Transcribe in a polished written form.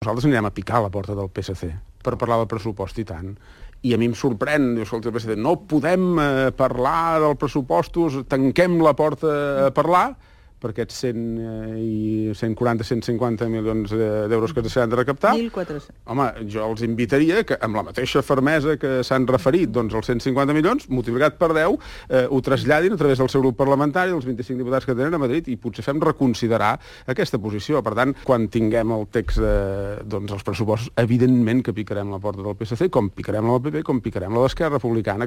Nosaltres anirem a picar a la porta del PSC per parlar del pressupost i tant. I a mi em sorprèn, diu, escolta, el PSC, no podem parlar dels pressupostos, tanquem la porta a parlar, per aquests 140, 150 milions d'euros que s'han de recaptar. 1.400. Home, jo els invitaria que, amb la mateixa fermesa que s'han referit, doncs, els 150 milions, multiplicat per 10, ho traslladin a través del seu grup parlamentari, els 25 diputats que tenen a Madrid, i potser fem reconsiderar aquesta posició. Per tant, quan tinguem el text dels pressupostos, evidentment que picarem la porta del PSC, com picarem la del PP, com picarem la d'Esquerra Republicana.